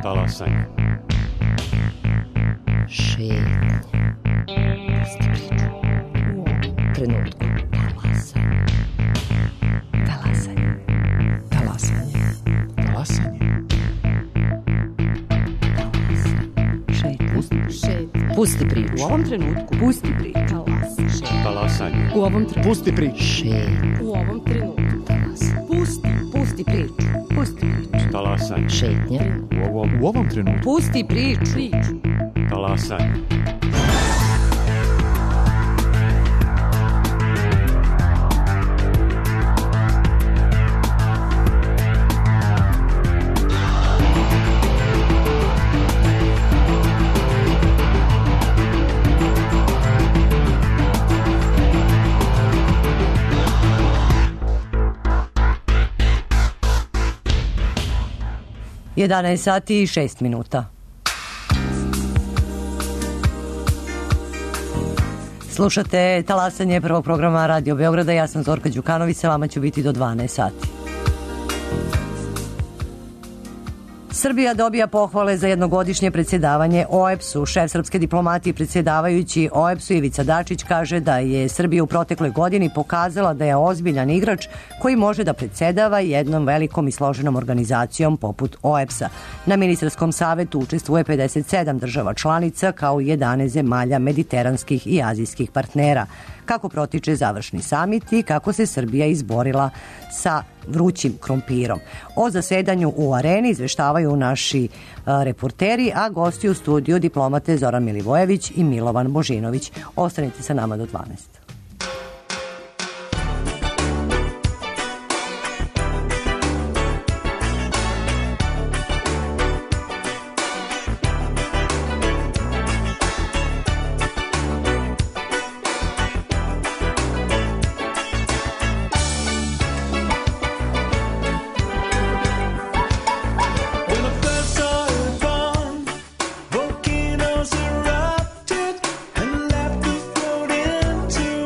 Talasanje. Šetnje. Pusti priču. U ovom trenutku. Talasanje. Talasanje. Talasanje. Pusti priču. U ovom trenutku. Pusti priču. Talasanje. U ovom trenutku. Pusti priču. Šetnje. U ovom trenutku. Pusti priču. Pusti priču. Talasanje. Šetnje. U ovom trenutku. Pusti priču. Talasanje. Jedanaest sati i 6 minuta. Slušate Talasanje prvog programa Radio Beograda. Ja sam Zorka Đukanović, sa vama ću biti do 12 sati. Srbija dobija pohvale za jednogodišnje predsjedavanje OEBS-u. Šef srpske diplomatije i predsjedavajući OEBS-u Ivica Dačić kaže da je Srbija u protekloj godini pokazala da je ozbiljan igrač koji može da predsjedava jednom velikom i složenom organizacijom poput OEBS-a. Na ministarskom savetu učestvuje 57 država članica kao i 11 zemalja mediteranskih i azijskih partnera. Kako protiče završni samit i kako se Srbija izborila sa vrućim krompirom. O zasedanju u Areni izveštavaju naši reporteri, a gosti u studiju diplomate Zoran Milivojević i Milovan Božinović. Ostanite sa nama do 12. Volcanoes erupted and left the float into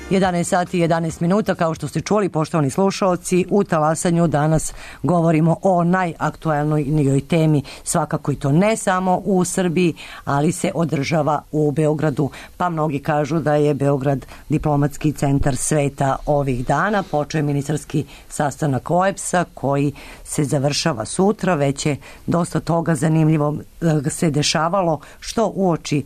11 sati i 11 minuta, kao što ste čuli, poštovani slušaoci, u Talasanju danas govorimo o najaktualnijoj temi, svakako i to ne samo u Srbiji, ali se održava u Beogradu, pa mnogi kažu da je Beograd diplomatski centar sveta ovih dana. Počeo je ministarski sastanak OEBS-a koji se završava sutra, već je dosta toga zanimljivo se dešavalo što uoči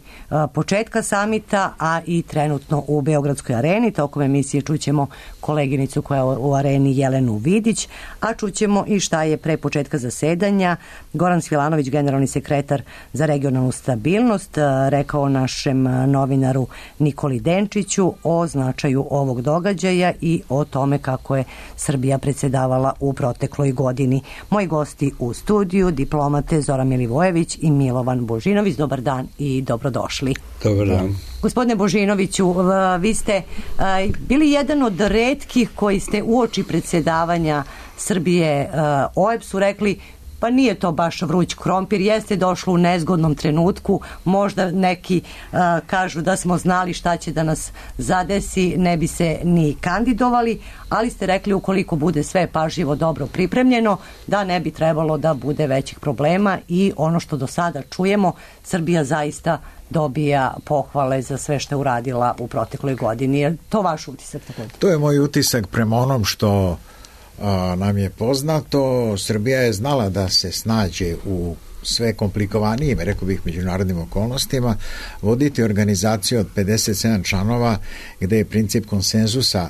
početka samita, a i trenutno u Beogradskoj areni. Tokom emisije čućemo koleginicu koja je u areni Jelenu Vidić, a čućemo i šta je pre početka zasedanja Goran Svilanović, generalni sekretar za regionalnu stabilnost, rekao našem novinaru Nikoli Denčiću o značaju ovog događaja i o tome kako je Srbija predsedavala u protekloj godini. Moji gosti u studiju, diplomate Zoran Milivojević i Milovan Božinović. Dobar dan i dobrodošli. Dobar dan. Gospodine Božinoviću, vi ste bili jedan od retkih koji ste uoči predsjedavanja Srbije OEBS-u rekli pa nije to baš vruć krompir, jeste došlo u nezgodnom trenutku, možda neki kažu da smo znali šta će da nas zadesi, ne bi se ni kandidovali, ali ste rekli ukoliko bude sve pažljivo dobro pripremljeno, da ne bi trebalo da bude većih problema i ono što do sada čujemo, Srbija zaista dobija pohvale za sve što je uradila u protekloj godini. Je to vaš utisak? To je moj utisak prema onom što nam je poznato. Srbija je znala da se snađe u sve komplikovanijim, rekao bih, međunarodnim okolnostima, voditi organizaciju od 57 članova gde je princip konsenzusa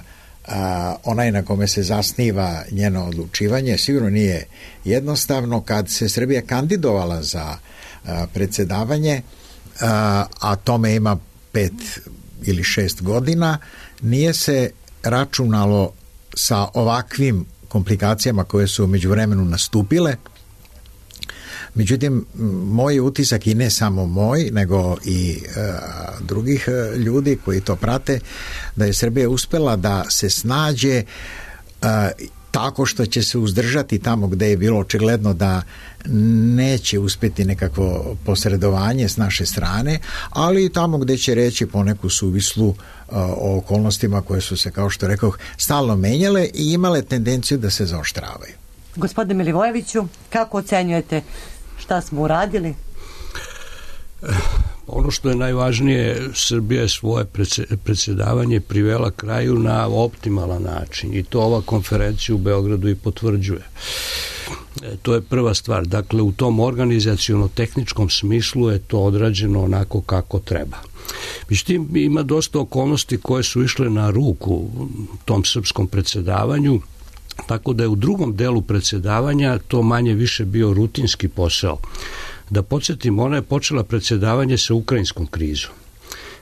onaj na kome se zasniva njeno odlučivanje. Sigurno nije jednostavno. Kad se Srbija kandidovala za predsedavanje, a tome ima 5 ili 6 godina, nije se računalo sa ovakvim komplikacijama koje su u međuvremenu nastupile. Međutim, moj utisak, i ne samo moj, nego i drugih ljudi koji to prate, da je Srbija uspela da se snađe tako što će se uzdržati tamo gde je bilo očigledno da neće uspjeti nekakvo posredovanje s naše strane, ali i tamo gde će reći poneku suvislu o okolnostima koje su se, kao što rekoh, stalno menjale i imale tendenciju da se zaoštravaju. Gospodine Milivojeviću, kako ocenjujete šta smo uradili? Ono što je najvažnije, Srbija je svoje predsjedavanje privela kraju na optimalan način i to ova konferencija u Beogradu i potvrđuje. To je prva stvar. Dakle, u tom organizaciono-tehničkom smislu je to odrađeno onako kako treba. Međutim, ima dosta okolnosti koje su išle na ruku tom srpskom predsjedavanju, tako da je u drugom delu predsjedavanja to manje više bio rutinski posao. Da podsjetim, ona je počela predsjedavanje sa ukrajinskom krizom.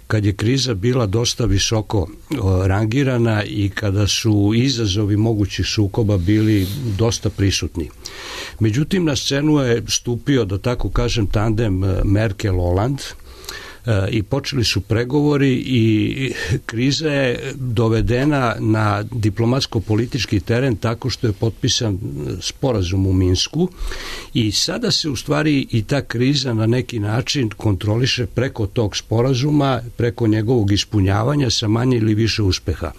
Kad je kriza bila dosta visoko rangirana i kada su izazovi mogućih sukoba bili dosta prisutni. Međutim, na scenu je stupio, da tako kažem, tandem Merkel-Hollande i počeli su pregovori i kriza je dovedena na diplomatsko-politički teren tako što je potpisan sporazum u Minsku i sada se u stvari i ta kriza na neki način kontroliše preko tog sporazuma, preko njegovog ispunjavanja sa manje ili više uspeha.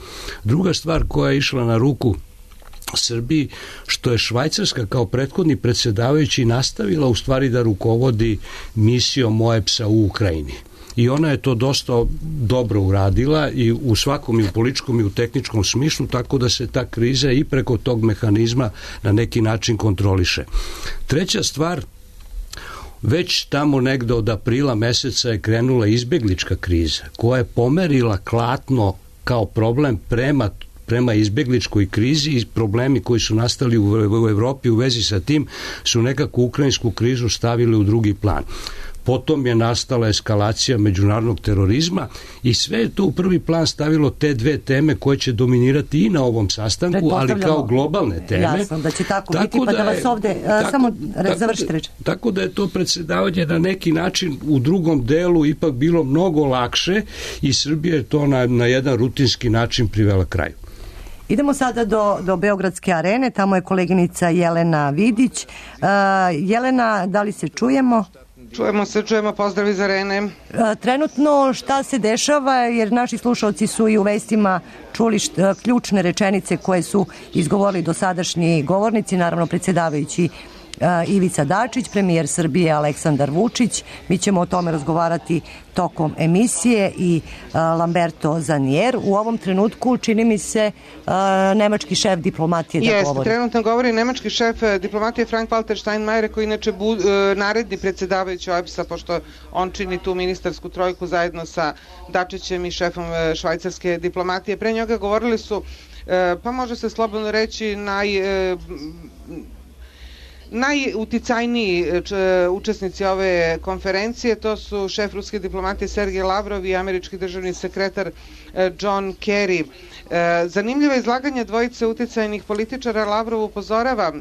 Druga stvar koja je išla na ruku Srbiji, što je Švajcarska kao prethodni predsjedavajući nastavila u stvari da rukovodi misijom OEBS-a u Ukrajini. I ona je to dosta dobro uradila i u svakom i u političkom i u tehničkom smislu, tako da se ta kriza i preko tog mehanizma na neki način kontroliše. Treća stvar, već tamo negde od aprila meseca je krenula izbeglička kriza koja je pomerila klatno kao problem prema izbegličkoj krizi i problemi koji su nastali u Evropi u vezi sa tim su nekako ukrajinsku krizu stavili u drugi plan. Potom je nastala eskalacija međunarodnog terorizma i sve je to u prvi plan stavilo te dve teme koje će dominirati i na ovom sastanku, ali kao globalne teme. Jasno, da će tako biti, pa da vas ovde samo završite reč. Tako da je to predsjedavanje na neki način u drugom delu ipak bilo mnogo lakše i Srbija je to na jedan rutinski način privela kraju. Idemo sada do Beogradske arene, tamo je koleginica Jelena Vidić. Jelena, da li se čujemo? Čujemo, pozdrav iz Arene. Trenutno šta se dešava, jer naši slušalci su i u vestima čuli ključne rečenice koje su izgovorili dosadašnji govornici, naravno predsjedavajući Ivica Dačić, premijer Srbije Aleksandar Vučić. Mi ćemo o tome razgovarati tokom emisije i Lamberto Zanier. U ovom trenutku čini mi se nemački šef diplomatije da govori. Trenutno govori nemački šef diplomatije Frank-Walter Steinmeier, koji inače naredni predsjedavajući OEBS-a, pošto on čini tu ministarsku trojku zajedno sa Dačićem i šefom švajcarske diplomatije. Pre njega govorili su, pa može se slobodno reći, najuticajniji učesnici ove konferencije. To su šef ruske diplomatije Sergej Lavrov i američki državni sekretar John Kerry. Zanimljivo izlaganje dvojice uticajnih političara. Lavrov upozorava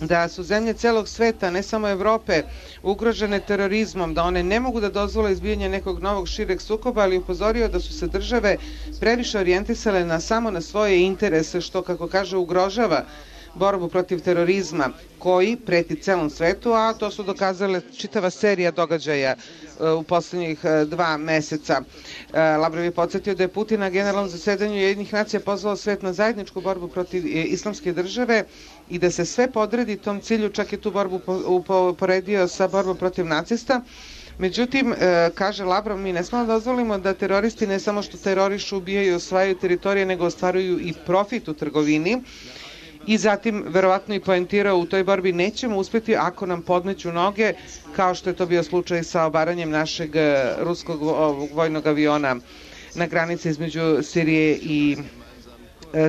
da su zemlje celog sveta, ne samo Evrope, ugrožene terorizmom, da one ne mogu da dozvole izbijanje nekog novog šireg sukoba, ali upozorio da su se države previše orijentisale samo na svoje interese, što, kako kaže, ugrožava borbu protiv terorizma koji preti celom svetu, a to su dokazale čitava serija događaja u poslednjih 2 meseca. Lavrov je podsjetio da je Putin na generalnom zasedanju Ujedinjenih nacija pozvao svet na zajedničku borbu protiv islamske države i da se sve podredi tom cilju, čak je tu borbu poredio sa borbom protiv nacista. Međutim, kaže Lavrov, mi ne smemo da dozvolimo da teroristi ne samo što terorišu, ubijaju i osvajaju teritorije, nego ostvaruju i profit u trgovini. I zatim, verovatno i poentirao, u toj borbi nećemo uspjeti ako nam podmeću noge, kao što je to bio slučaj sa obaranjem našeg ruskog vojnog aviona na granici između Sirije i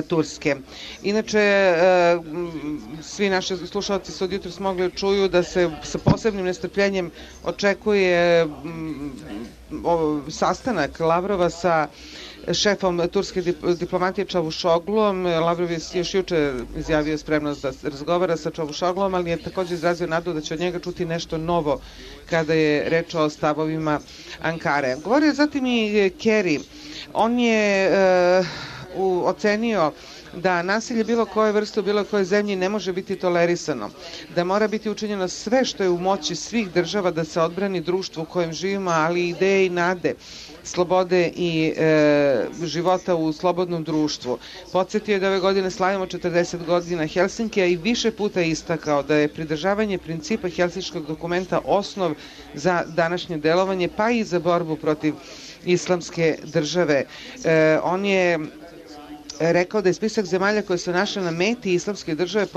Turske. Inače, svi naši slušalci su od jutros mogli čuju da se sa posebnim nestrpljenjem očekuje sastanak Lavrova sa šefom turske diplomatije Čavuşogluom. Lavrov je još juče izjavio spremnost da razgovara sa Čavuşogluom, ali je također izrazio nadu da će od njega čuti nešto novo kada je reč o stavovima Ankare. Govorio zatim i Kerry. On je ocenio da nasilje bilo koje vrste u bilo koje zemlji ne može biti tolerisano, da mora biti učinjeno sve što je u moći svih država da se odbrani društvo u kojem živimo, ali i ideje i nade slobode i života u slobodnom društvu. Podsjetio je da ove godine slavimo 40 godina Helsinkija i više puta istakao da je pridržavanje principa Helsinškog dokumenta osnov za današnje delovanje, pa i za borbu protiv islamske države. On je rekao da je spisak zemalja koje se našle na meti islamske države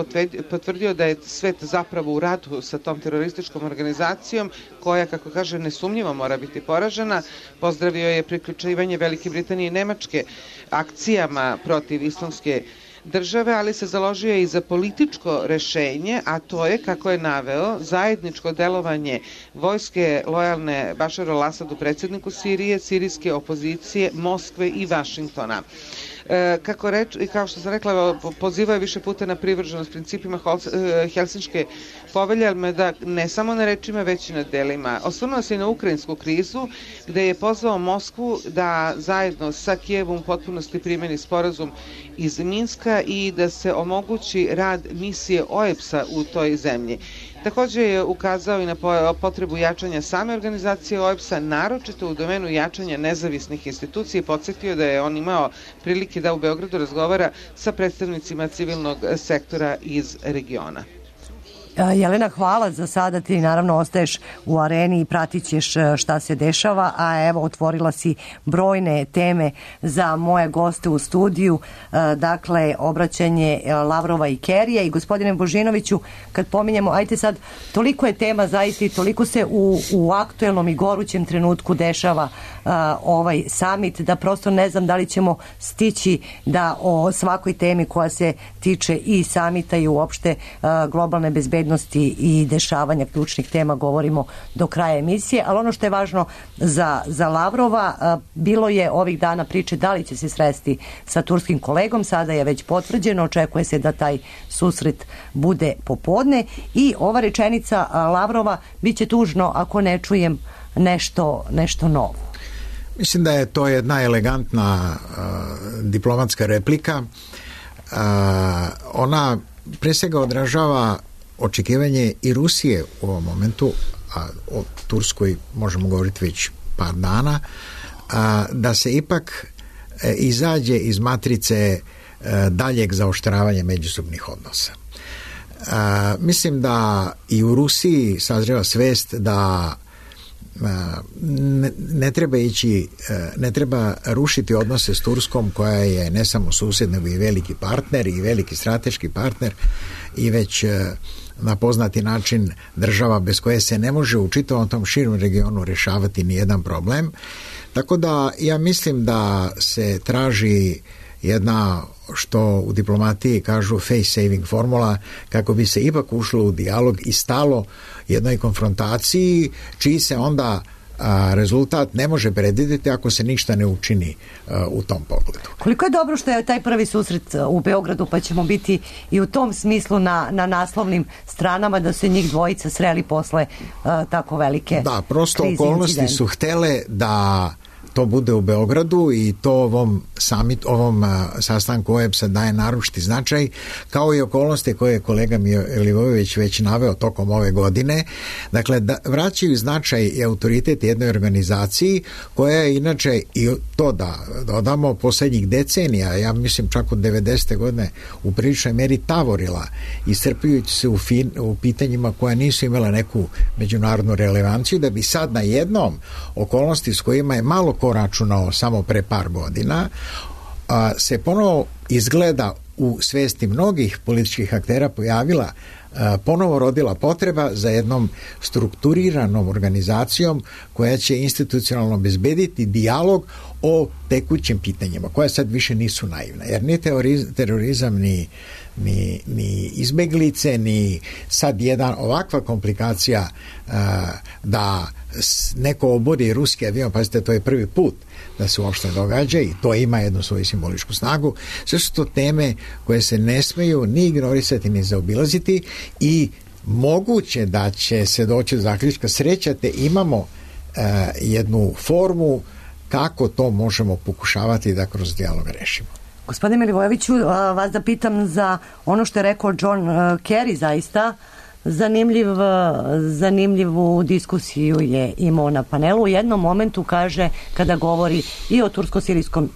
potvrdio da je svet zapravo u ratu sa tom terorističkom organizacijom koja, kako kaže, nesumnjivo mora biti poražena. Pozdravio je priključivanje Velike Britanije i Nemačke akcijama protiv islamske države, ali se založio i za političko rešenje, a to je, kako je naveo, zajedničko delovanje vojske lojalne Bašaru al-Asadu, predsjedniku Sirije, sirijske opozicije, Moskve i Vašingtona. Kao što sam rekla, pozivao je više puta na privrženost principima Helsinške povelje, ali da ne samo na rečima, već i na delima. Osvrnuo se i na ukrajinsku krizu, gde je pozvao Moskvu da zajedno sa Kijevom u potpunosti primeni sporazum iz Minska i da se omogući rad misije OEBS-a u toj zemlji. Također je ukazao i na potrebu jačanja same organizacije OEBS-a, naročito u domenu jačanja nezavisnih institucija, i podsjetio da je on imao prilike da u Beogradu razgovara sa predstavnicima civilnog sektora iz regiona. Jelena, hvala za sada, ti naravno ostaješ u areni i pratit ćeš šta se dešava, a evo otvorila si brojne teme za moje goste u studiju, dakle obraćanje Lavrova i Kerrija. I gospodine Božinoviću, kad pominjemo, ajte sad, toliko je tema zaista i toliko se u aktuelnom i gorućem trenutku dešava ovaj summit, da prosto ne znam da li ćemo stići da o svakoj temi koja se tiče i summita i uopšte globalne bezbednosti i dešavanja ključnih tema govorimo do kraja emisije, ali ono što je važno za Lavrova, bilo je ovih dana priče da li će se sresti sa turskim kolegom, sada je već potvrđeno, očekuje se da taj susret bude popodne, i ova rečenica Lavrova: bit će tužno ako ne čujem nešto novo. Mislim da je to jedna elegantna diplomatska replika. Ona pre svega odražava očekivanje i Rusije u ovom momentu, a o Turskoj možemo govoriti već par dana, da se ipak izađe iz matrice daljeg zaoštravanja međusobnih odnosa. Mislim da i u Rusiji sazreva svest da ne treba rušiti odnose s Turskom, koja je ne samo susjed, nego i veliki partner i veliki strateški partner i već na poznati način država bez koje se ne može u čitavom tom širom regionu rješavati ni jedan problem. Tako da ja mislim da se traži jedna, što u diplomatiji kažu, face saving formula, kako bi se ipak ušlo u dijalog i stalo jednoj konfrontaciji čiji se onda rezultat ne može predvidjeti ako se ništa ne učini u tom pogledu. Koliko je dobro što je taj prvi susret u Beogradu, pa ćemo biti i u tom smislu na naslovnim stranama, da se njih dvojica sreli posle tako velike krize. Da, prosto okolnosti su htele da to bude u Beogradu i to ovom sastanku OEBS-a daje naročiti značaj, kao i okolnosti koje je kolega Milivojević već naveo tokom ove godine. Dakle, vraćaju značaj i autoritet jednoj organizaciji koja je inače, i to da dodamo, posljednjih decenija, ja mislim čak od 90. godine, u priličnoj meri tavorila, iscrpljujući se u pitanjima koja nisu imala neku međunarodnu relevanciju, da bi sad na jednom okolnosti s kojima je malo ko računao samo pre par godina, se ponovo izgleda u svesti mnogih političkih aktera pojavila, ponovo rodila potreba za jednom strukturiranom organizacijom koja će institucionalno obezbediti dijalog o tekućim pitanjima, koja sad više nisu naivna. Jer ni terorizam, ni izbeglice, ni sad jedan ovakva komplikacija da neko obori ruski avion, pazite, to je prvi put da se uopšte događa i to ima jednu svoju simboličku snagu. Sve su to teme koje se ne smeju ni ignorisati ni zaobilaziti i moguće da će se doći do zaključka, srećate, imamo jednu formu kako to možemo pokušavati da kroz dijalog rešimo. Gospodine Milivojeviću, vas da pitam za ono što je rekao John Kerry, zaista zanimljivu diskusiju je imao na panelu. U jednom momentu kaže, kada govori i o tursko-sirijskom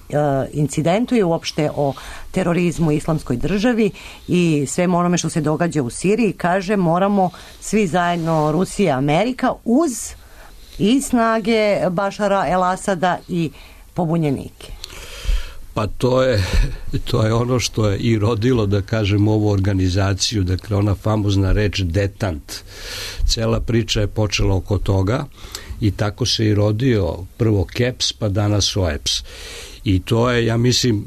incidentu i uopšte o terorizmu i islamskoj državi i svemu onome što se događa u Siriji, kaže, moramo svi zajedno, Rusija i Amerika, uz i snage Bašara el-Asada i pobunjenike. Pa to je ono što je i rodilo, da kažem, ovu organizaciju, dakle ona famozna reč detant. Cela priča je počela oko toga i tako se i rodio prvo KEPS pa danas OEBS. I to je, ja mislim,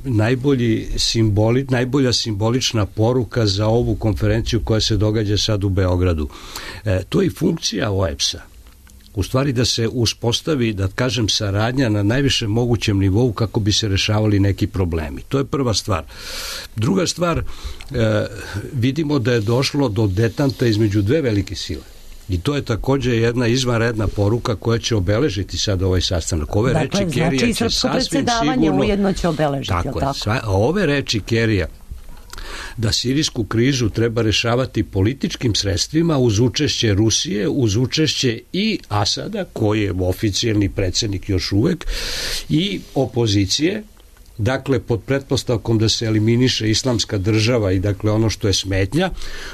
najbolja simbolična poruka za ovu konferenciju koja se događa sad u Beogradu. To je i funkcija OEBS-a. U stvari da se uspostavi, da kažem, saradnja na najvišem mogućem nivou kako bi se rešavali neki problemi. To je prva stvar. Druga stvar, vidimo da je došlo do detanta između dve velike sile. I to je također jedna izvanredna poruka koja će obeležiti sad ovaj sastanak. Ove reči Kerija će sasvim sigurno... ujedno će obeležiti. Tako je. Ove reči Kerija da sirijsku krizu treba rešavati političkim sredstvima uz učešće Rusije, uz učešće i Asada, koji je oficijalni predsjednik još uvek, i opozicije, dakle pod pretpostavkom da se eliminiše islamska država i dakle ono što je smetnja.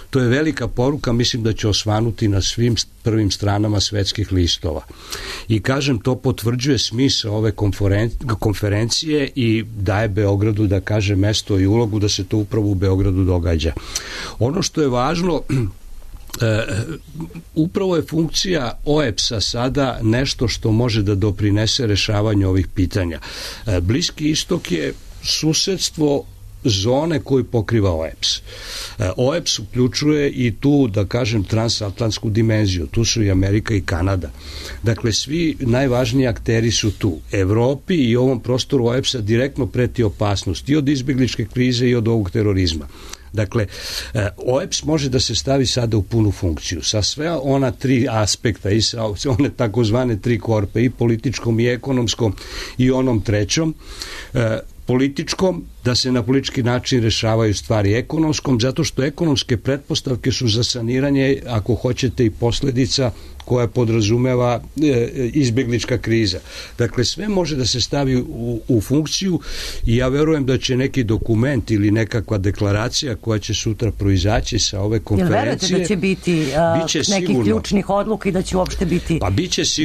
To je velika poruka, mislim da će osvanuti na svim prvim stranama svetskih listova. I kažem, to potvrđuje smisao ove konferencije i daje Beogradu, da kaže, mesto i ulogu da se to upravo u Beogradu događa. Ono što je važno, upravo je funkcija OEBS-a sada nešto što može da doprinese rešavanju ovih pitanja. Bliski istok je susedstvo zone koju pokriva OEBS. OEBS uključuje i tu, da kažem, transatlantsku dimenziju. Tu su i Amerika i Kanada. Dakle, svi najvažniji akteri su tu. Evropi i ovom prostoru OEBS-a direktno preti opasnost i od izbjegličke krize i od ovog terorizma. Dakle, OEBS može da se stavi sada u punu funkciju sa sve ona tri aspekta i sa one takozvane tri korpe, i političkom i ekonomskom i onom trećom. Političkom, da se na politički način rešavaju stvari ekonomskom, zato što ekonomske pretpostavke su za saniranje, ako hoćete, i posledica koja podrazumeva izbjeglička kriza. Dakle, sve može da se stavi u funkciju i ja verujem da će neki dokument ili nekakva deklaracija koja će sutra proizaći sa ove konferencije. Jel verujete da će biti nekih ključnih odluka i da će uopšte biti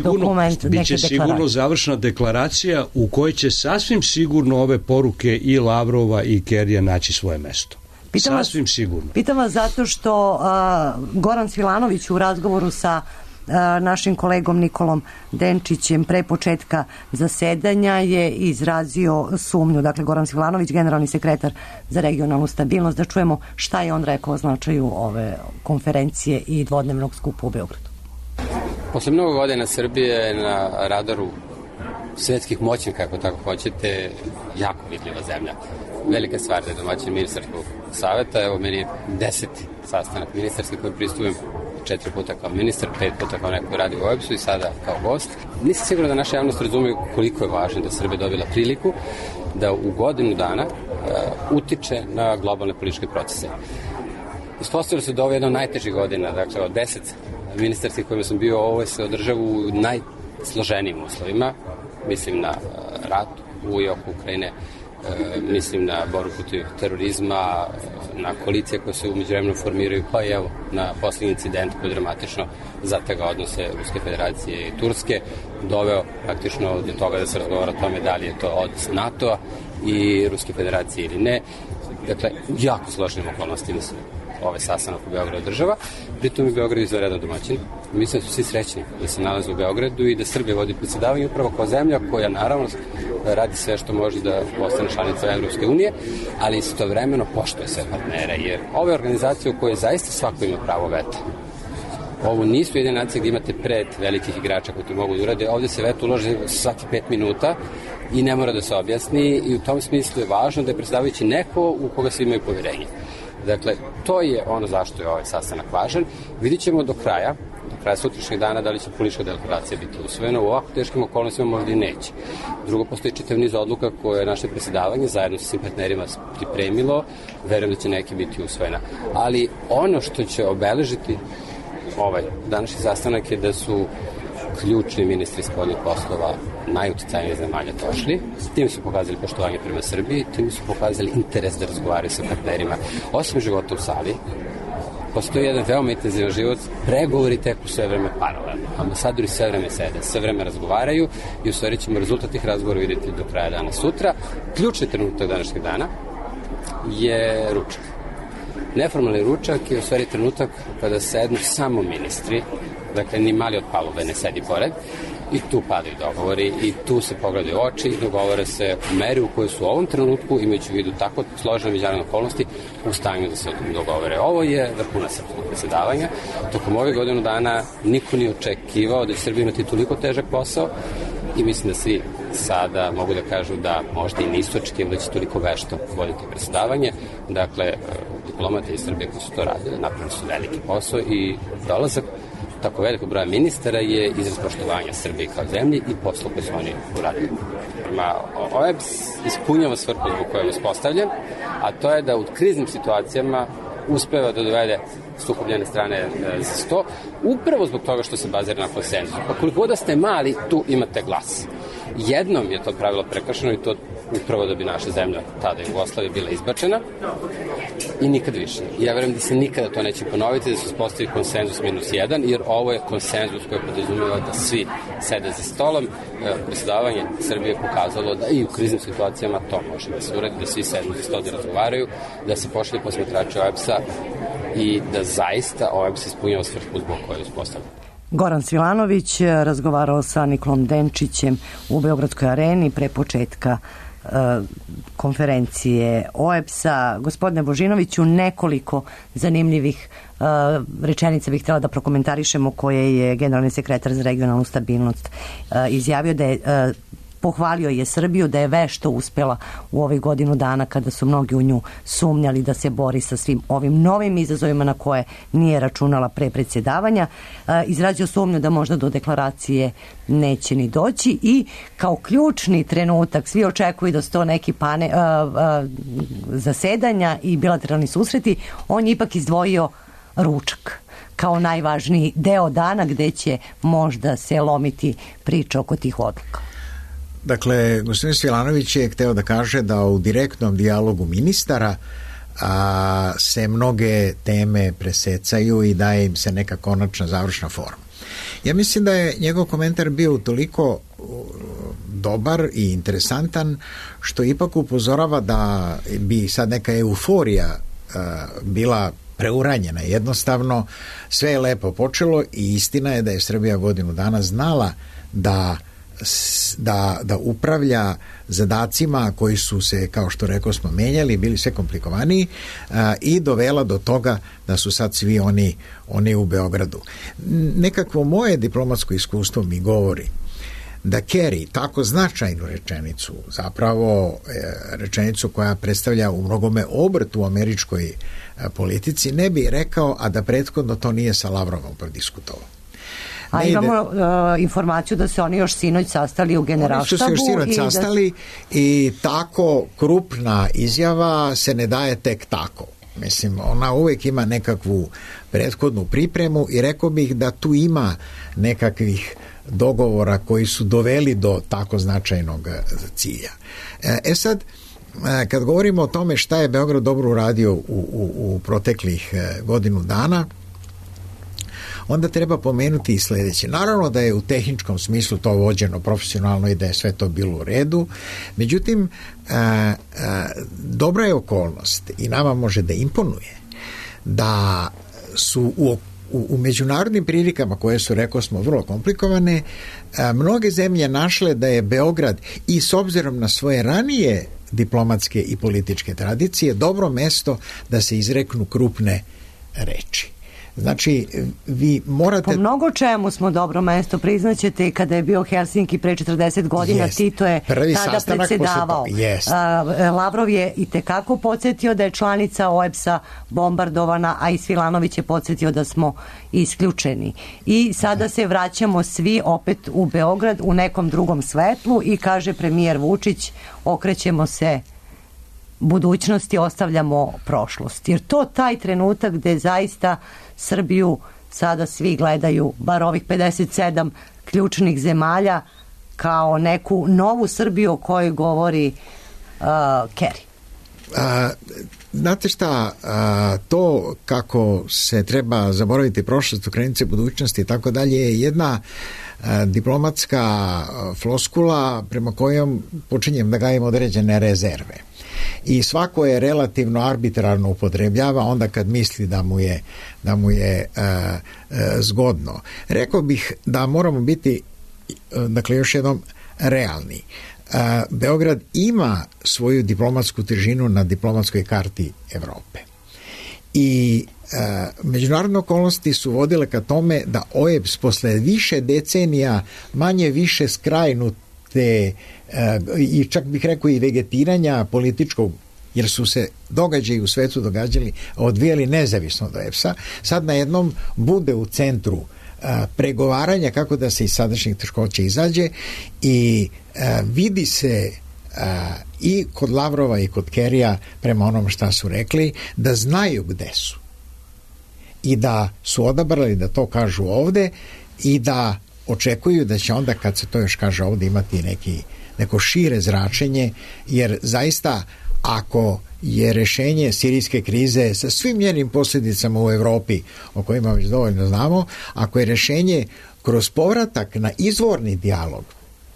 dokument, biće sigurno završna deklaracija u kojoj će sasvim sigurno ove poruke i Lavrova i Kerija naći svoje mesto. Sasvim sigurno. Pitam vas zato što Goran Svilanović u razgovoru sa našim kolegom Nikolom Denčićem pre početka zasedanja je izrazio sumnju. Dakle, Goran Svilanović, generalni sekretar za regionalnu stabilnost, da čujemo šta je on rekao o značaju ove konferencije i dvodnevnog skupa u Beogradu. Posle mnogo godina Srbije na radaru svetskih moćnika, ako tako hoćete, jako vidljiva zemlja. Velika stvar da je domaćin ministarskog saveta. Evo, meni je 10. sastanak ministarski koji pristupujem 4 puta kao ministar, 5 puta kao neko radi u OEBS-u i sada kao gost. Nisam siguran da naša javnost razumije koliko je važno da Srbija dobila priliku da u godinu dana utiče na globalne političke procese. Ispostavilo se da ovo je jedna od najtežih godina, dakle od 10 ministarskih kojima sam bio, ovo se održava u najsloženijim uslovima. Mislim na rat u oku Ukrajine, mislim na borbu protiv terorizma, na koalicije koje se umeđu vremenu formiraju, pa i evo na poslednji incident koji je dramatično zategao odnose Ruske federacije i Turske, doveo praktično do toga da se razgovara o tome da li je to odnos NATO-a i Ruske federacije ili ne. Dakle, jako složenim okolnostima se ovaj sastanak u Beogradu država. Pritom je Beograd izvanredan domaćin. Mislim da su svi srećni da se nalaze u Beogradu i da Srbija vodi predsjedavanje upravo kao zemlja koja naravno radi sve što može da postane članica Evropske unije, ali istovremeno poštuje sve partnere, jer ove organizacije u kojoj zaista svako ima pravo veta. Ovo nisu jedine nacije gdje imate pred velikih igrača koji to mogu da urade. Ovdje se veto uloži svaki 5 minuta i ne mora da se objasni i u tom smislu je važno da je predsjedavajući neko u koga svi imaju povjerenje. Dakle, to je ono zašto je ovaj sastanak važan. Vidit ćemo do kraja sutrašnjeg dana da li će politička deklaracija biti usvojena. U ovako teškim okolnostima možda i neće. Drugo, postoji čitav niz odluka koje je naše predsjedavanje zajedno sa svim partnerima pripremilo. Verujem da će neki biti usvojena. Ali ono što će obeležiti ovaj današnji sastanak je da su ključni ministri spoljnih poslova najuticajnijih zemalja došli. Tim su pokazali poštovanje prema Srbiji, tim su pokazali interes da razgovaraju sa partnerima. Osim života u sali, postoji jedan veoma intenzivan život, pregovori teku sve vreme paralelno. Ambasadori sve vreme sede, sve vreme razgovaraju i u stvari ćemo rezultat tih razgovora vidjeti do kraja dana sutra. Ključni trenutak današnjeg dana je ručak. Neformalni ručak je u stvari trenutak kada sednu samo ministri, dakle ni mali od palube ne sedi pored, i tu padaju dogovori i tu se pogledaju oči i dogovore se u meri u kojoj su u ovom trenutku, imajući u vidu tako složene međunarodne okolnosti, u stanju da se dogovore. Ovo je vrhunac srpskog predsjedavanja. Tokom ove godinu dana niko nije očekivao da će Srbija imati toliko težak posao i mislim da svi sada mogu da kažu da možda i nisu očekivali da će toliko vešto voditi predsjedavanje. Dakle, diplomate iz Srbije koji su to radili napravili su veliki posao i dolazak tako veliko broja ministara je izraz poštovanja Srbije kao zemlji i posla koje su oni uradili. OEBS ispunjava svrhu zbog koje je uspostavljen, a to je da u kriznim situacijama uspeva da dovede sukobljene strane za sto, upravo zbog toga što se bazira na konsenzusu. Pa koliko da ste mali, tu imate glas. Jednom je to pravilo prekršeno i to upravo da bi naša zemlja, tada Jugoslavija, bila izbačena i nikad više. Ja verujem da se nikada to neće ponoviti, da se uspostavi konsenzus -1, jer ovo je konsenzus koji podrazumeva da svi sede za stolom. Predsjedavanje Srbije pokazalo da i u kriznim situacijama to može da se uradi, da svi sednu za stol da razgovaraju, da se pošalje posmatrači OEBS-a i da zaista OEBS ispunjava svrhu zbog koje je uspostavljeno. Goran Svilanović razgovarao sa Nikolom Denčićem u Beogradskoj areni pre početka konferencije OEBS-a. Gospodine Božinoviću, nekoliko zanimljivih rečenica bih htjela da prokomentarišemo koje je generalni sekretar za regionalnu stabilnost izjavio da je pohvalio je Srbiju da je vešto uspela u ovih godinu dana kada su mnogi u nju sumnjali da se bori sa svim ovim novim izazovima na koje nije računala pre predsjedavanja. Izrazio sumnju da možda do deklaracije neće ni doći i kao ključni trenutak, svi očekuju da su to neki zasedanja i bilateralni susreti, on je ipak izdvojio ručak kao najvažniji deo dana gde će možda se lomiti priča oko tih odluka. Dakle, gospodin Svilanović je hteo da kaže da u direktnom dijalogu ministara se mnoge teme presecaju i daje im se neka konačna završna forma. Ja mislim da je njegov komentar bio toliko dobar i interesantan što ipak upozorava da bi sad neka euforija bila preuranjena. Jednostavno sve je lepo počelo i istina je da je Srbija godinu dana znala da upravlja zadacima koji su se, kao što rekao smo, menjali, bili sve komplikovaniji i dovela do toga da su sad svi oni u Beogradu. Nekakvo moje diplomatsko iskustvo mi govori da Kerry tako značajnu rečenicu, zapravo rečenicu koja predstavlja u mnogome obrt u američkoj politici, ne bi rekao, a da prethodno to nije sa Lavrovom prodiskutovao. A imamo informaciju da se oni još sinoć sastali u Generalštabu. Oni su se još sinoć sastali i tako krupna izjava se ne daje tek tako. Mislim, ona uvek ima nekakvu prethodnu pripremu i rekao bih da tu ima nekakvih dogovora koji su doveli do tako značajnog cilja. Sad, kad govorimo o tome šta je Beograd dobro uradio u proteklih godinu dana, onda treba pomenuti i sledeće. Naravno da je u tehničkom smislu to vođeno profesionalno i da je sve to bilo u redu. Međutim, dobra je okolnost i nama može da imponuje da su u međunarodnim prilikama koje su, rekao smo, vrlo komplikovane, mnoge zemlje našle da je Beograd i s obzirom na svoje ranije diplomatske i političke tradicije dobro mesto da se izreknu krupne reči. Znači, vi morate... Po mnogo čemu smo dobro mesto, priznaćete, i kada je bio Helsinki pre 40 godina, Tito je tada predsedavao. Lavrov je i tekako podsjetio da je članica OEBS-a bombardovana, a i Svilanović je podsjetio da smo isključeni. I sada se vraćamo svi opet u Beograd u nekom drugom svetlu i kaže premijer Vučić, okrećemo se budućnosti, ostavljamo prošlost. Jer to taj trenutak gde zaista Srbiju sada svi gledaju, bar ovih 57 ključnih zemalja, kao neku novu Srbiju o kojoj govori Kerry. Znate šta, to kako se treba zaboraviti prošlost, okrenuti se budućnosti i tako dalje je jedna diplomatska floskula prema kojom počinjem da gajim određene rezerve. I svako je relativno arbitrarno upotrebljava onda kad misli da mu je zgodno. Rekao bih da moramo biti, dakle, još jednom realni. Beograd ima svoju diplomatsku težinu na diplomatskoj karti Evrope. I međunarodne okolnosti su vodile ka tome da OEBS posle više decenija manje više skrajnute i čak bih rekao i vegetiranja političkog, jer su se događaji u svetu događali, odvijali nezavisno od OEBS-a, sad na jednom bude u centru pregovaranja kako da se iz sadašnjih teškoća izađe i vidi se i kod Lavrova i kod Kerrya prema onom šta su rekli da znaju gde su i da su odabrali da to kažu ovde i da očekuju da će onda kad se to još kaže ovde imati neko šire zračenje, jer zaista ako je rešenje sirijske krize sa svim njenim posljedicama u Evropi, o kojima već dovoljno znamo, ako je rešenje kroz povratak na izvorni dijalog,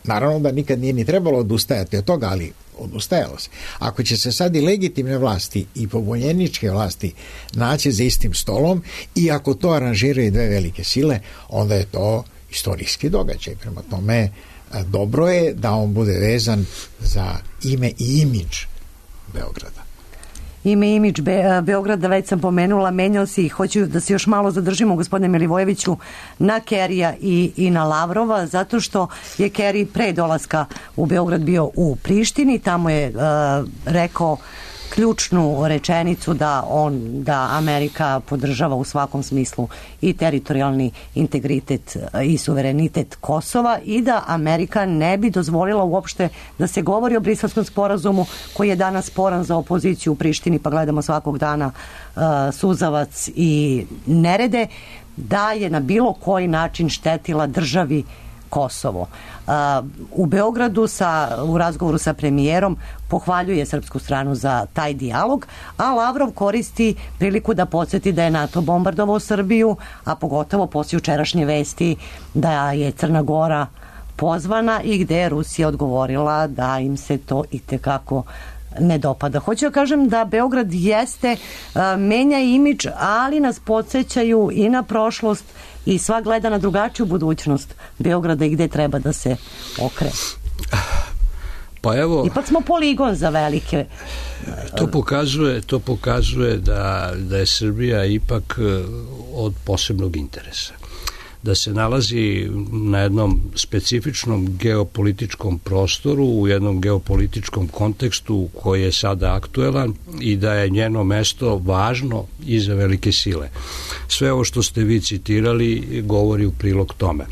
naravno da nikad nije ni trebalo odustajati od toga, ali odustajalo se. Ako će se sad i legitimne vlasti i pobunjeničke vlasti naći za istim stolom i ako to aranžiraju dve velike sile, onda je to istorijski događaj. Prema tome, dobro je da on bude vezan za ime i imidž Beograda. imidž Beograda, već sam pomenula, menjao se i hoću da se još malo zadržimo, gospodine Milivojeviću, na Kerija i na Lavrova, zato što je Keri pre dolaska u Beograd bio u Prištini, tamo je rekao ključnu rečenicu da Amerika podržava u svakom smislu i teritorijalni integritet i suverenitet Kosova i da Amerika ne bi dozvolila uopšte da se govori o Briselskom sporazumu koji je danas sporan za opoziciju u Prištini, pa gledamo svakog dana suzavac i nerede, da je na bilo koji način štetila državi Kosovo. U Beogradu u razgovoru sa premijerom pohvaljuje srpsku stranu za taj dijalog, a Lavrov koristi priliku da podsjeti da je NATO bombardovao Srbiju, a pogotovo poslije jučerašnje vesti da je Crna Gora pozvana i gde je Rusija odgovorila da im se to itekako ne dopada. Hoću da kažem da Beograd menja imidž, ali nas podsjećaju i na prošlost i sva gleda na drugačiju budućnost Beograda i gde treba da se okrene. Pa evo, ipak smo poligon za velike. To pokazuje da je Srbija ipak od posebnog interesa. Da se nalazi na jednom specifičnom geopolitičkom prostoru, u jednom geopolitičkom kontekstu koji je sada aktuelan i da je njeno mesto važno i za velike sile. Sve ovo što ste vi citirali govori u prilog tome.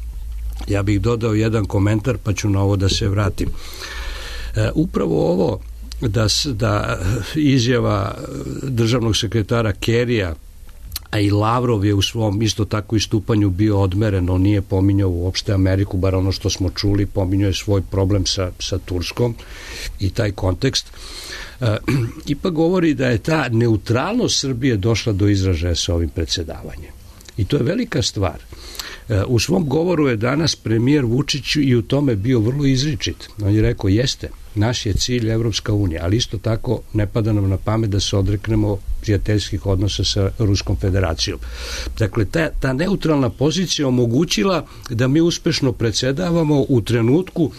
Ja bih dodao jedan komentar pa ću na ovo da se vratim. Upravo ovo da izjava državnog sekretara Kerija, a i Lavrov je u svom isto tako istupanju bio odmeren, on nije pominjao uopšte Ameriku, bar ono što smo čuli, pominjao je svoj problem sa Turskom i taj kontekst. Ipak govori da je ta neutralnost Srbije došla do izražaja sa ovim predsjedavanjem. I to je velika stvar. U svom govoru je danas premijer Vučić i u tome bio vrlo izričit. On je rekao, jeste, naš je cilj Evropska unija, ali isto tako ne pada nam na pamet da se odreknemo prijateljskih odnosa sa Ruskom federacijom. Dakle, ta neutralna pozicija omogućila da mi uspešno predsjedavamo u trenutku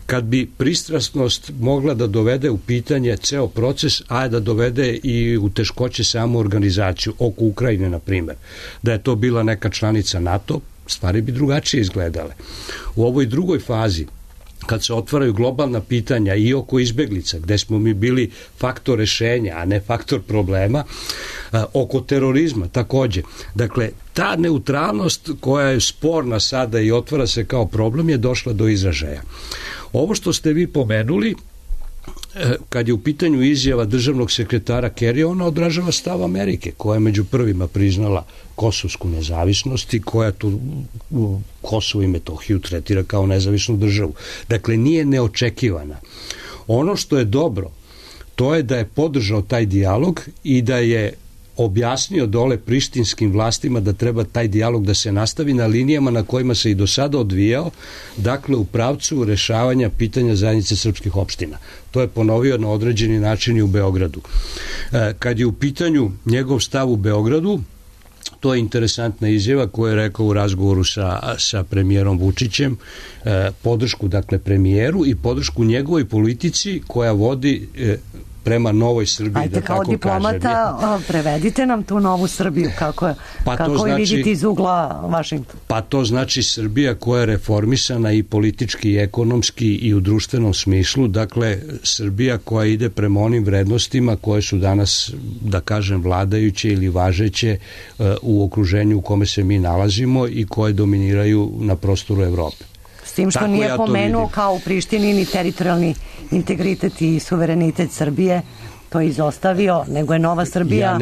kad bi pristrasnost mogla da dovede u pitanje ceo proces, a da dovede i u teškoće samu organizaciju, oko Ukrajine, na primjer. Da je to bila neka članica NATO, stvari bi drugačije izgledale. U ovoj drugoj fazi, kad se otvaraju globalna pitanja i oko izbeglica, gde smo mi bili faktor rešenja, a ne faktor problema, oko terorizma takođe. Dakle, ta neutralnost koja je sporna sada i otvara se kao problem je došla do izražaja. Ovo što ste vi pomenuli, kad je u pitanju izjava državnog sekretara Kerija, ona odražava stav Amerike, koja je među prvima priznala kosovsku nezavisnost i koja tu Kosovo i Metohiju tretira kao nezavisnu državu. Dakle, nije neočekivana. Ono što je dobro, to je da je podržao taj dijalog i da je objasnio dole prištinskim vlastima da treba taj dijalog da se nastavi na linijama na kojima se i do sada odvijao, dakle u pravcu rešavanja pitanja zajednice srpskih opština. To je ponovio na određeni način i u Beogradu. Kad je u pitanju njegov stav u Beogradu, to je interesantna izjava koju je rekao u razgovoru sa premijerom Vučićem, podršku dakle premijeru i podršku njegovoj politici koja vodi prema novoj Srbiji. Ajde, kao diplomata, prevedite nam tu novu Srbiju, kako je vidite iz ugla Vašingtona. Pa to znači Srbija koja je reformisana i politički i ekonomski i u društvenom smislu, dakle Srbija koja ide prema onim vrednostima koje su danas, da kažem, vladajuće ili važeće u okruženju u kome se mi nalazimo i koje dominiraju na prostoru Evrope. S tim što nije pomenuo kao u Prištini ni teritorijalni integritet i suverenitet Srbije, to je izostavio, nego je nova Srbija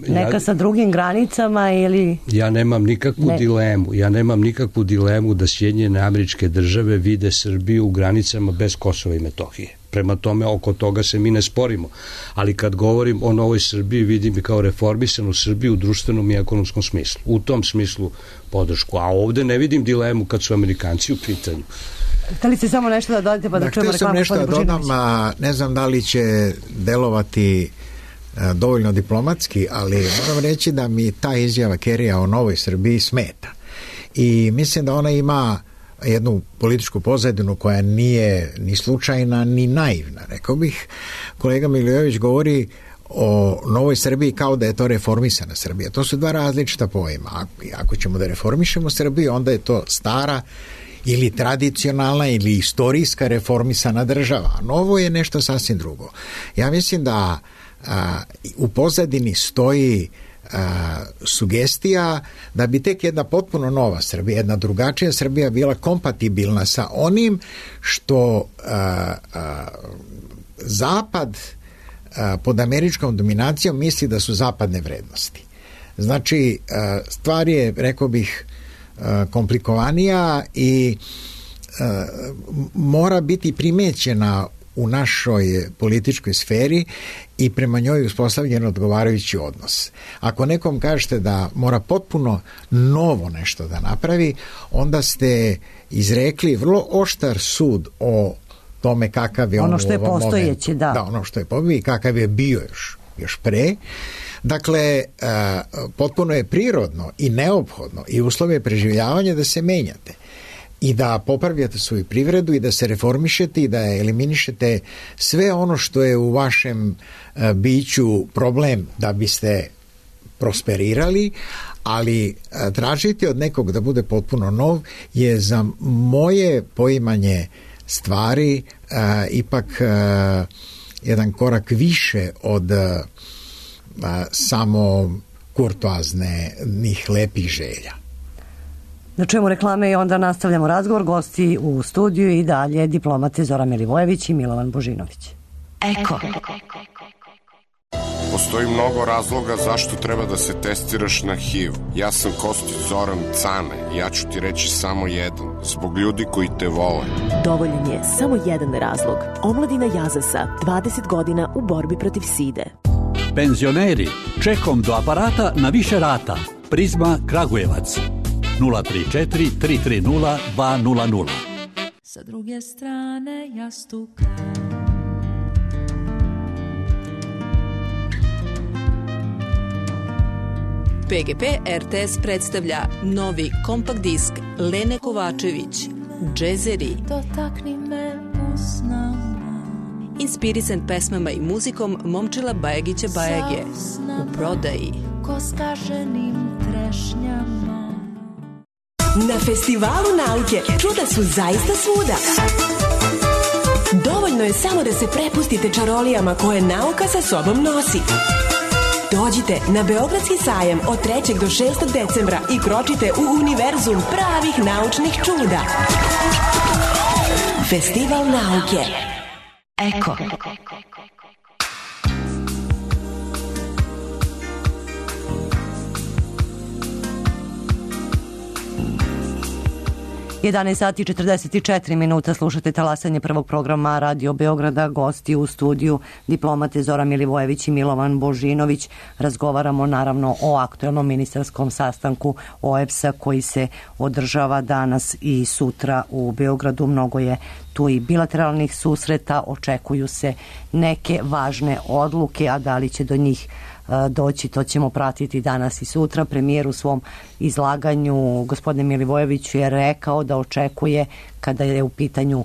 neka sa drugim granicama ili... Ja nemam nikakvu dilemu da Sjedinjene Američke Države vide Srbiju u granicama bez Kosova i Metohije. Prema tome, oko toga se mi ne sporimo. Ali kad govorim o novoj Srbiji, vidim i kao reformisanu Srbiju u društvenom i ekonomskom smislu. U tom smislu podršku. A ovde ne vidim dilemu kad su Amerikanci u pitanju. Hteli ste samo nešto da dodate pa da čujemo reklamu? Htio sam nešto da dodam, ne znam da li će delovati dovoljno diplomatski, ali moram reći da mi ta izjava Kerija o novoj Srbiji smeta. I mislim da ona ima jednu političku pozadinu koja nije ni slučajna ni naivna. Rekao bih, kolega Milivojević govori o Novoj Srbiji kao da je to reformisana Srbija. To su dva različita pojma. Ako ćemo da reformišemo Srbiju, onda je to stara ili tradicionalna ili istorijska reformisana država. Novo je nešto sasvim drugo. Ja mislim da u pozadini stoji sugestija da bi tek jedna potpuno nova Srbija, jedna drugačija Srbija bila kompatibilna sa onim što Zapad pod američkom dominacijom misli da su zapadne vrednosti. Znači, stvar je, rekao bih, komplikovanija i mora biti primećena u našoj političkoj sferi i prema njoj uspostavljen odgovarajući odnos. Ako nekom kažete da mora potpuno novo nešto da napravi, onda ste izrekli vrlo oštar sud o tome kakav je ono što je postojeći, da, ono što je postojeći i kakav je bio još pre. Dakle, potpuno je prirodno i neophodno i uslove preživljavanja da se menjate i da popravljate svoju privredu i da se reformišete i da eliminišete sve ono što je u vašem biću problem da biste prosperirali, ali tražiti od nekog da bude potpuno nov je za moje poimanje stvari ipak jedan korak više od samo kurtoaznih lepih želja. Da čujemo reklame i onda nastavljamo razgovor. Gosti u studiju i dalje diplomate Zoran Milivojević i Milovan Božinović. Eko. Postoji mnogo razloga zašto treba da se testiraš na HIV. Ja sam Kostić Zoran Cane. Ja ću ti reći samo jedan. Zbog ljudi koji te vole. Dovoljan je samo jedan razlog. Omladina Jazasa, 20 godina u borbi protiv side. Penzioneri, čekom do aparata na više rata. Prizma Kragujevac. 034 330 200. Sa druge strane jastuka. PGP RTS predstavlja novi kompakt disk Lene Kovačević, Džezeri. Dotakni me usnama. Inspirisan pesmama i muzikom Momčila Bajagića Bajage. U prodaji. Ko skaženim trešnjama. Na Festivalu nauke čuda su zaista svuda. Dovoljno je samo da se prepustite čarolijama koje nauka sa sobom nosi. Dođite na Beogradski sajam od 3. do 6. decembra i kročite u univerzum pravih naučnih čuda. Festival nauke. Eko. 11 sati 44 minuta, slušate talasanje prvog programa Radio Beograda. Gosti u studiju diplomate Zoran Milivojević i Milovan Božinović. Razgovaramo naravno o aktuelnom ministarskom sastanku OEBS-a koji se održava danas i sutra u Beogradu. Mnogo je tu i bilateralnih susreta, očekuju se neke važne odluke, a da li će do njih doći, to ćemo pratiti danas i sutra. Premijer u svom izlaganju, gospodine Milivojeviću, je rekao da očekuje, kada je u pitanju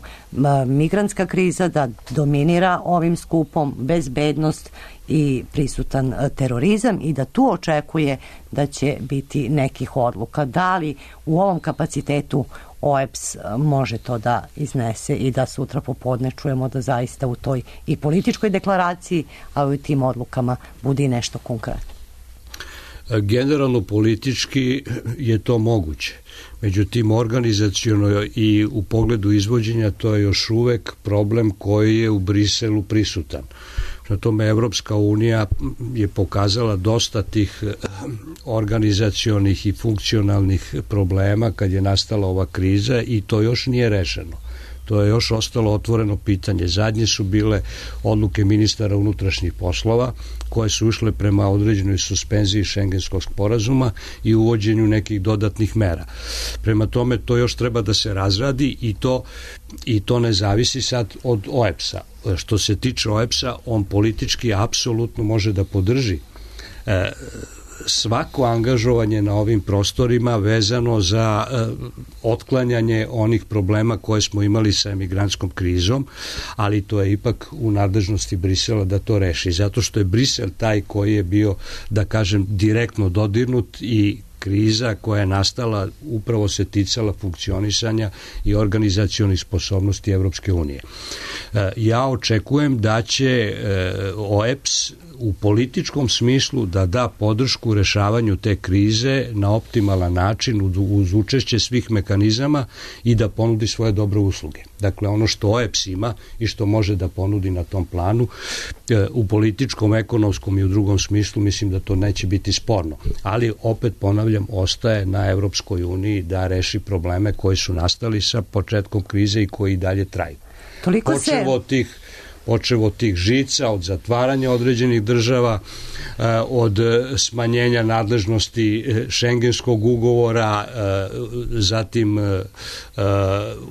migrantska kriza, da dominira ovim skupom bezbednost i prisutan terorizam i da tu očekuje da će biti nekih odluka. Da li u ovom kapacitetu OEBS može to da iznese i da sutra popodne čujemo da zaista u toj i političkoj deklaraciji, a u tim odlukama bude i nešto konkretno? Generalno politički je to moguće. Međutim, organizaciono i u pogledu izvođenja to je još uvek problem koji je u Briselu prisutan. Na tome Evropska unija je pokazala dosta tih organizacionih i funkcionalnih problema kad je nastala ova kriza i to još nije rešeno. To je još ostalo otvoreno pitanje. Zadnje su bile odluke ministara unutrašnjih poslova koje su išle prema određenoj suspenziji Šengenskog sporazuma i uvođenju nekih dodatnih mera. Prema tome to još treba da se razradi i to ne zavisi sad od OEBS-a. Što se tiče OEBS-a, on politički apsolutno može da podrži svako angažovanje na ovim prostorima vezano za otklanjanje onih problema koje smo imali sa emigrantskom krizom, ali to je ipak u nadležnosti Brisela da to reši, zato što je Brisel taj koji je bio, da kažem, direktno dodirnut i kriza koja je nastala upravo se ticala funkcionisanja i organizacionih sposobnosti Evropske unije. Ja očekujem da će OEBS u političkom smislu da da podršku rešavanju te krize na optimalan način uz učešće svih mehanizama i da ponudi svoje dobre usluge. Dakle, ono što OEBS ima i što može da ponudi na tom planu u političkom, ekonomskom i u drugom smislu, mislim da to neće biti sporno. Ali, opet ponavljam, ostaje na Evropskoj uniji da reši probleme koji su nastali sa početkom krize i koji dalje traju. Počevo od tih žica, od zatvaranja određenih država, od smanjenja nadležnosti šengenskog ugovora, zatim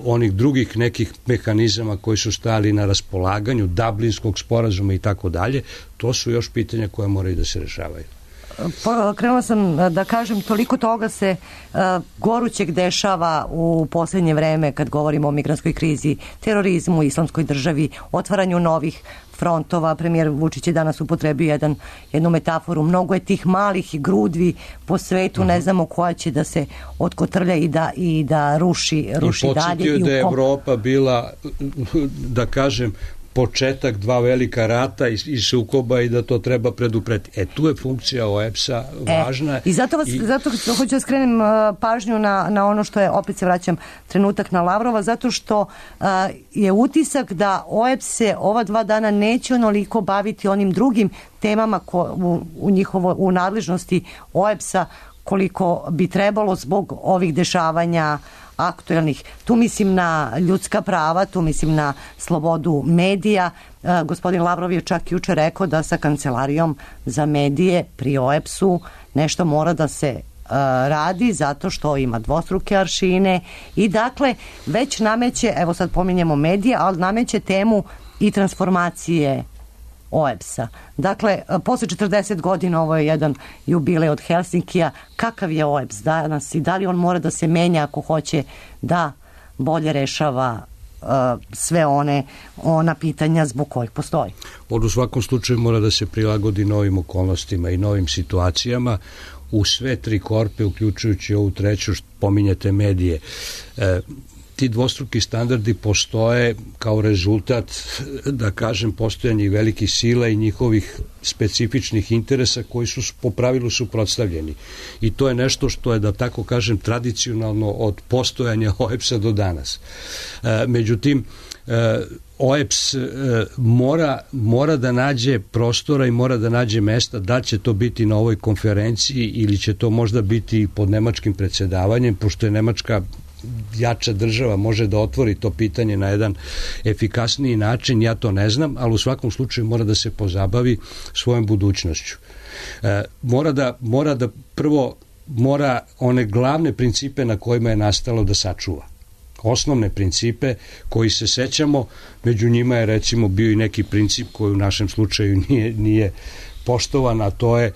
onih drugih nekih mehanizama koji su stajali na raspolaganju, Dublinskog sporazuma i tako dalje, to su još pitanja koje moraju da se rešavaju. Krenula sam da kažem, toliko toga se gorućeg dešava u poslednje vreme kad govorimo o migrantskoj krizi, terorizmu, islamskoj državi, otvaranju novih frontova. Premijer Vučić je danas upotrebio jednu metaforu. Mnogo je tih malih grudvi po svetu, ne znamo koja će da se otkotrlja i da ruši dalje. I podsjetio da je Evropa bila, da kažem, početak dva velika rata i sukoba i da to treba preduprediti. Tu je funkcija OEBS-a važna. I zato hoću da skrenem pažnju na ono što je, opet se vraćam trenutak na Lavrova, zato što je utisak da OEBS se ova 2 dana neće onoliko baviti onim drugim temama u nadležnosti OEBS-a koliko bi trebalo zbog ovih dešavanja aktuelnih. Tu mislim na ljudska prava, tu mislim na slobodu medija. Gospodin Lavrov je čak juče rekao da sa Kancelarijom za medije pri OEBS-u nešto mora da se radi zato što ima dvostruke aršine i dakle već nameće, evo sad pominjemo medije, ali nameće temu i transformacije OEBS-a. Dakle, posle 40 godina ovo je jedan jubilej od Helsinkija. Kakav je OEBS danas i da li on mora da se menja ako hoće da bolje rešava sve ona pitanja zbog kojih postoji? U svakom slučaju mora da se prilagodi novim okolnostima i novim situacijama. U sve 3 korpe, uključujući ovu treću, pominjate medije, ti dvostruki standardi postoje kao rezultat, da kažem, postojanja velikih sila i njihovih specifičnih interesa koji su po pravilu suprotstavljeni. I to je nešto što je, da tako kažem, tradicionalno od postojanja OEBS-a do danas. Međutim, OEBS mora da nađe prostora i mora da nađe mesta, da će to biti na ovoj konferenciji ili će to možda biti pod nemačkim predsjedavanjem, pošto je Nemačka jača država, može da otvori to pitanje na jedan efikasniji način, ja to ne znam, ali u svakom slučaju mora da se pozabavi svojom budućnošću. Mora one glavne principe na kojima je nastalo da sačuva. Osnovne principe koji se sećamo, među njima je recimo bio i neki princip koji u našem slučaju nije poštovan, a to je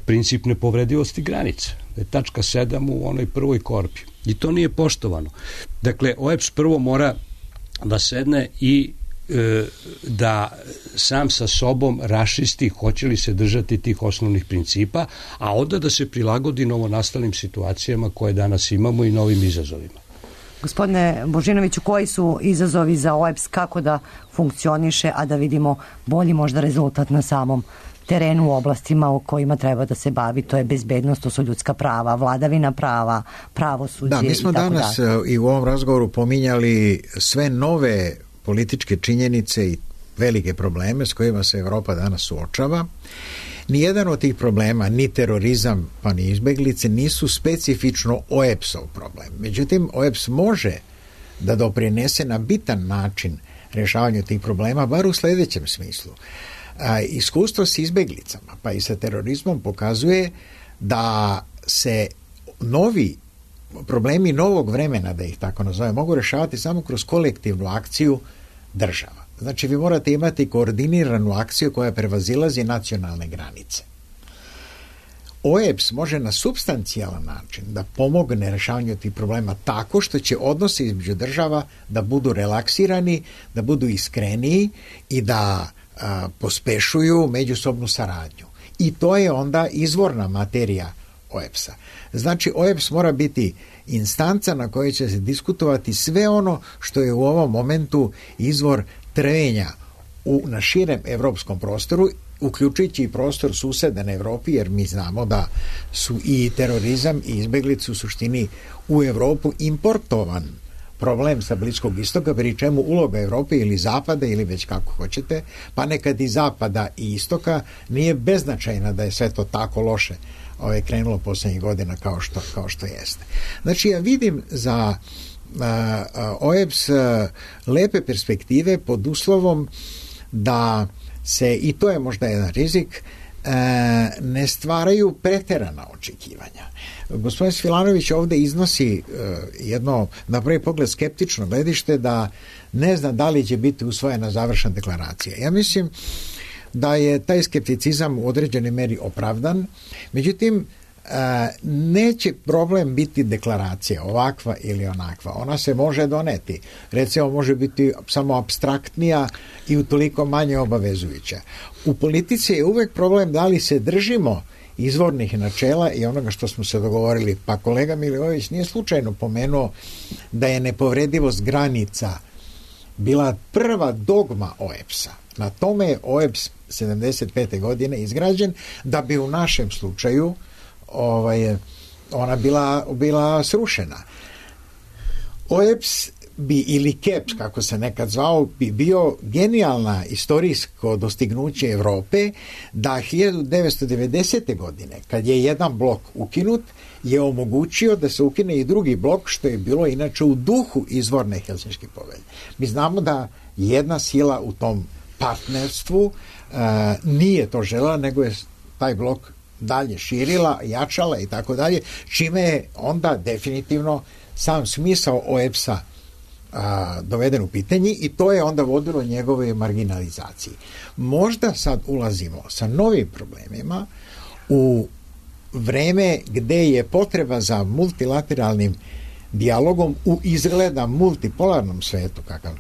princip nepovredivosti granica. Tačka 7 u onoj prvoj korpi. I to nije poštovano. Dakle, OEBS prvo mora da sedne i da sam sa sobom raščisti hoće li se držati tih osnovnih principa, a onda da se prilagodi novonastalim situacijama koje danas imamo i novim izazovima. Gospodine Božinoviću, koji su izazovi za OEBS, kako da funkcioniše, a da vidimo bolji možda rezultat na samom terenu u oblastima o kojima treba da se bavi, to je bezbednost, to su ljudska prava, vladavina prava, pravosuđe i tako dalje. Da, mi smo danas i u ovom razgovoru pominjali sve nove političke činjenice i velike probleme s kojima se Evropa danas suočava. Nijedan od tih problema, ni terorizam pa ni izbeglice, nisu specifično OEBS-ov problem. Međutim, OEBS može da doprinese na bitan način rešavanju tih problema, bar u sledećem smislu. Iskustvo s izbeglicama pa i sa terorizmom pokazuje da se novi problemi novog vremena, da ih tako nazove, mogu rešavati samo kroz kolektivnu akciju država. Znači, vi morate imati koordiniranu akciju koja prevazilazi nacionalne granice. OEBS može na supstancijalan način da pomogne rešavanju tih problema tako što će odnose između država da budu relaksirani, da budu iskreniji i da pospešuju međusobnu saradnju. I to je onda izvorna materija OEBS-a. Znači, OEBS mora biti instanca na kojoj će se diskutovati sve ono što je u ovom momentu izvor trvenja na širem evropskom prostoru, uključujući i prostor susedne Evropi, jer mi znamo da su i terorizam i izbeglice u suštini u Evropu importovan problem sa Bliskog istoka, pri čemu uloga Evrope ili Zapada ili već kako hoćete, pa nekad i Zapada i Istoka nije beznačajna da je sve to tako loše krenulo poslednjih godina kao što jeste. Znači, ja vidim za OEBS lepe perspektive pod uslovom da se, i to je možda jedan rizik, ne stvaraju preterana očekivanja. Gospodin Svilanović ovde iznosi jedno, na prvi pogled, skeptično gledište da ne zna da li će biti usvojena završena deklaracija. Ja mislim da je taj skepticizam u određenoj meri opravdan, međutim, neće problem biti deklaracija ovakva ili onakva. Ona se može doneti. Recimo, može biti samo apstraktnija i utoliko manje obavezujuća. U politici je uvek problem da li se držimo izvornih načela i onoga što smo se dogovorili. Pa kolega Milivojević nije slučajno pomenuo da je nepovredivost granica bila prva dogma OEBS-a. Na tome je OEBS 75. godine izgrađen, da bi u našem slučaju ona bila srušena. OEBS bi, ili KEPS, kako se nekad zvao, bi bio genijalna istorijsko dostignuće Evrope da 1990. godine, kad je jedan blok ukinut, je omogućio da se ukine i drugi blok, što je bilo inače u duhu izvorne Helsinške povelje. Mi znamo da jedna sila u tom partnerstvu nije to želela, nego je taj blok dalje širila, jačala i tako dalje, čime je onda definitivno sam smisao OEBS-a doveden u pitanje i to je onda vodilo njegove marginalizaciji. Možda sad ulazimo sa novim problemima u vreme gde je potreba za multilateralnim dijalogom u izgleda multipolarnom svetu kakav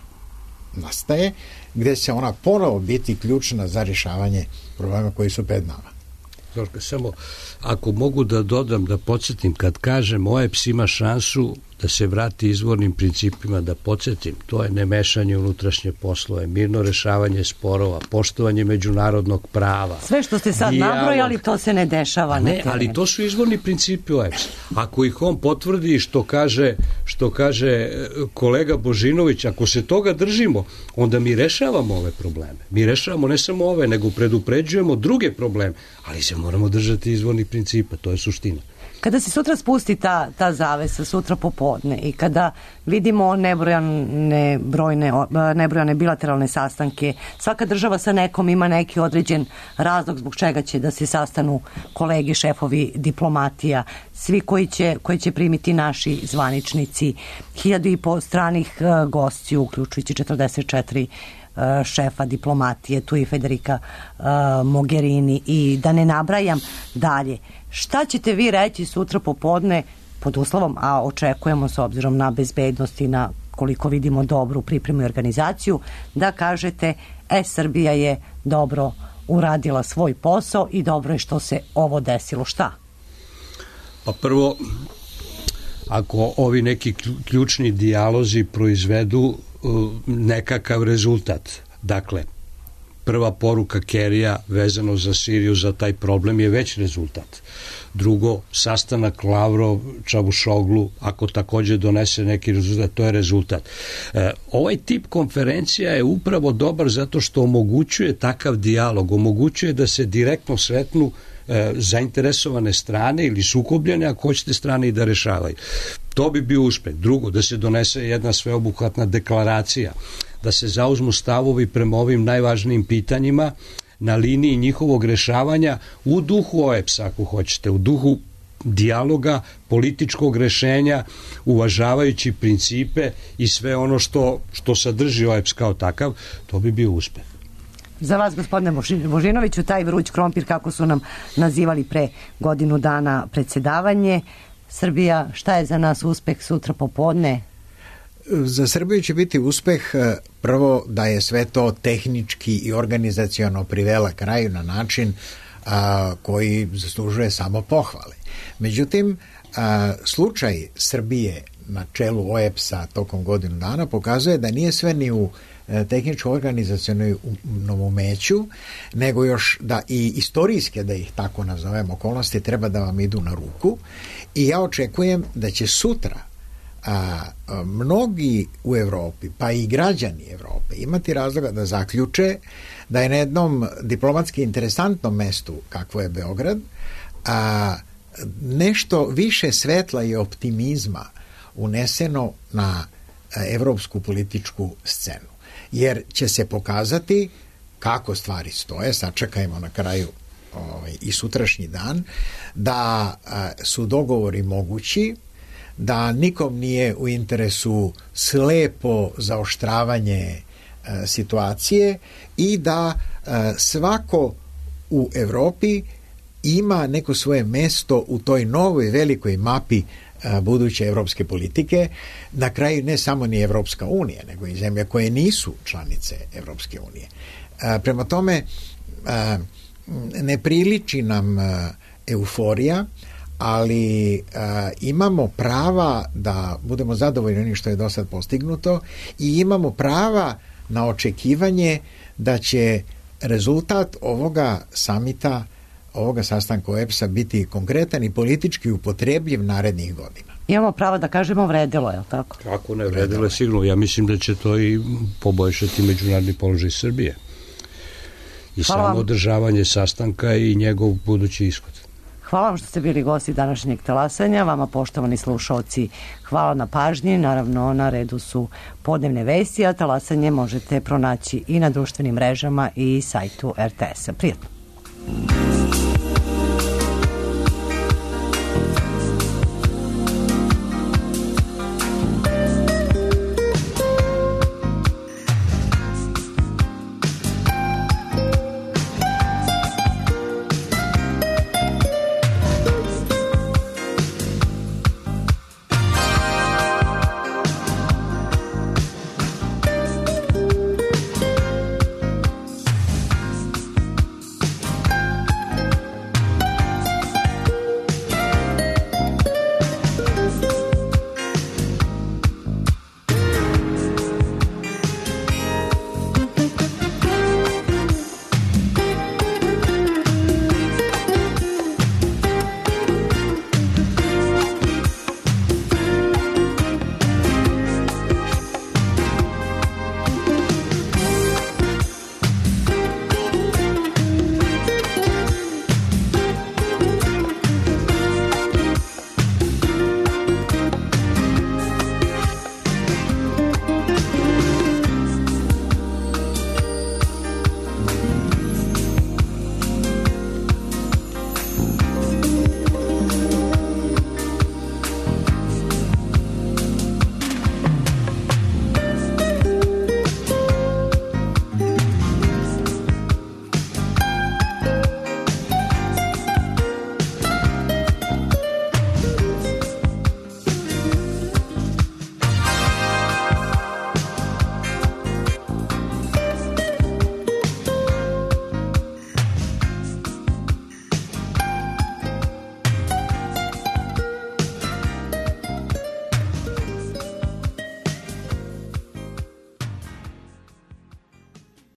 nastaje, gde će ona ponovo biti ključna za rješavanje problema koji su pred nama. Zorka, samo ako mogu da dodam, da podsjetim, kad kažem OEBS ima šansu da se vrati izvornim principima, da podsjetim, to je nemešanje unutrašnje poslove, mirno rešavanje sporova, poštovanje međunarodnog prava. Sve što ste sad nabrojali, to se ne dešava na terenu. Ali to su izvorni principi OEBS. Ako ih on potvrdi što kaže kolega Božinović, ako se toga držimo, onda mi rešavamo ove probleme. Mi rešavamo ne samo ove, nego predupređujemo druge probleme, ali se moramo držati izvornih principa, to je suština. Kada se sutra spusti ta zavesa, sutra popodne, i kada vidimo nebrojane bilateralne sastanke, svaka država sa nekom ima neki određen razlog zbog čega će da se sastanu kolege, šefovi diplomatija, svi koji će primiti naši zvaničnici, 1500 stranih gostiju, uključujući 44 šefa diplomatije, tu i Federica Mogherini, i da ne nabrajam dalje. Šta ćete vi reći sutra popodne pod uslovom, a očekujemo s obzirom na bezbednost i na, koliko vidimo, dobru pripremu i organizaciju, da kažete Srbija je dobro uradila svoj posao i dobro je što se ovo desilo. Šta? Pa prvo, ako ovi neki ključni dijalozi proizvedu nekakav rezultat, dakle, prva poruka Kerija vezano za Siriju, za taj problem, je već rezultat. Drugo, sastanak Lavrov, Čavušoglu, ako takođe donese neki rezultat, to je rezultat. Ovaj tip konferencija je upravo dobar zato što omogućuje takav dijalog, omogućuje da se direktno sretnu zainteresovane strane ili sukobljene, ako hoćete, strane, i da rešavaju. To bi bio uspeh. Drugo, da se donese jedna sveobuhvatna deklaracija, da se zauzmu stavovi prema ovim najvažnijim pitanjima na liniji njihovog rešavanja u duhu OEBS-a, ako hoćete, u duhu dijaloga, političkog rešenja, uvažavajući principe i sve ono što sadrži OEBS kao takav, to bi bio uspeh. Za vas, gospodine Božinoviću, taj vruć krompir, kako su nam nazivali pre godinu dana predsedavanje, Srbija, šta je za nas uspeh sutra popodne? Za Srbiju će biti uspeh prvo da je sve to tehnički i organizaciono privela kraju na način koji zaslužuje samo pohvale. Međutim, slučaj Srbije na čelu OEBS-a tokom godinu dana pokazuje da nije sve ni u tehničko-organizacionom umeću, nego još da i istorijske, da ih tako nazovem, okolnosti treba da vam idu na ruku i ja očekujem da će sutra mnogi u Evropi, pa i građani Evrope, imati razloga da zaključe da je na jednom diplomatski interesantnom mestu, kakvo je Beograd, nešto više svetla i optimizma uneseno na evropsku političku scenu. Jer će se pokazati kako stvari stoje, sačekajmo na kraju i sutrašnji dan, da su dogovori mogući, da nikom nije u interesu slepo zaoštravanje situacije i da svako u Evropi ima neko svoje mesto u toj novoj velikoj mapi buduće evropske politike. Na kraju ne samo ni Evropska unija, nego i zemlje koje nisu članice Evropske unije. Prema tome, ne priliči nam euforija, ali imamo prava da budemo zadovoljni onim što je do sad postignuto i imamo prava na očekivanje da će rezultat ovoga samita, ovoga sastanka OEBS-a biti konkretan i politički upotrebljiv narednih godina. Imamo pravo da kažemo vredilo, je li tako? Kako ne, vredilo je sigurno. Ja mislim da će to i poboljšati međunarodni položaj Srbije. I samo održavanje sastanka i njegov budući ishod. Hvala vam što ste bili gosti današnjeg talasanja. Vama, poštovani slušalci, hvala na pažnji. Naravno, na redu su podnevne vesti, a talasanje možete pronaći i na društvenim mrežama i sajtu RTS-a. Prijatno.